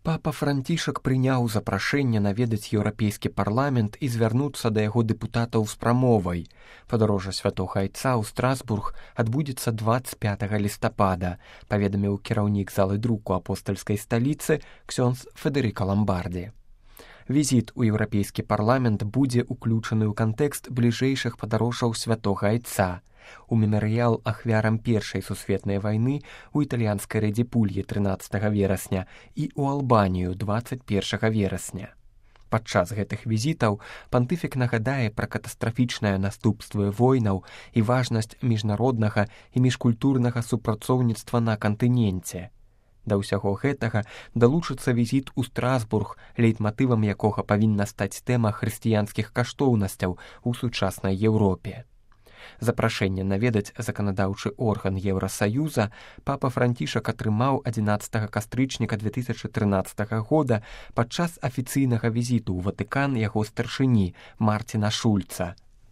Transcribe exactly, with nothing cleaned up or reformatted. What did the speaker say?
Папа Францішак прыняў запрашэнне наведаць еўрапейскі парламент і звярнуцца да яго дэпутатаў з прамовай. Падарожжа святога айца ў Страсбург адбудзецца дваццаць пятага лістапада, паведаміў кіраўнік залы друку апостальскай сталіцы ксёндз Федэрыка Ламбарді. Візіт у еўрапейскі парламент будзе ўключаны ў кантэкст бліжэйшых падарожжаў святога айца. У мемарыял ахвярам першай сусветнай вайны у італьянскай Рэдзіпульі трынаццатага верасня і ў Албанію дваццаць першага верасня. Падчас гэтых візітаў пантыфік нагадае пра катастрафічныя наступствы войнаў і важнасць міжнароднага і міжкультурнага супрацоўніцтва на кантыненце. Да ўсяго гэтага далучыцца візіт у Страсбург, лейтматывам якога павінна стаць тэма хрысціянскіх каштоўнасцяў у сучаснай Еўропе. Запрашэнне наведаць заканадаўчы орган Еўрасаюза папа Францішак атрымаў адзінаццатага кастрычніка две тысячы трынаццатага года падчас афіцыйнага візіту ў Ватыкан яго старшыні Мартіна Шульца.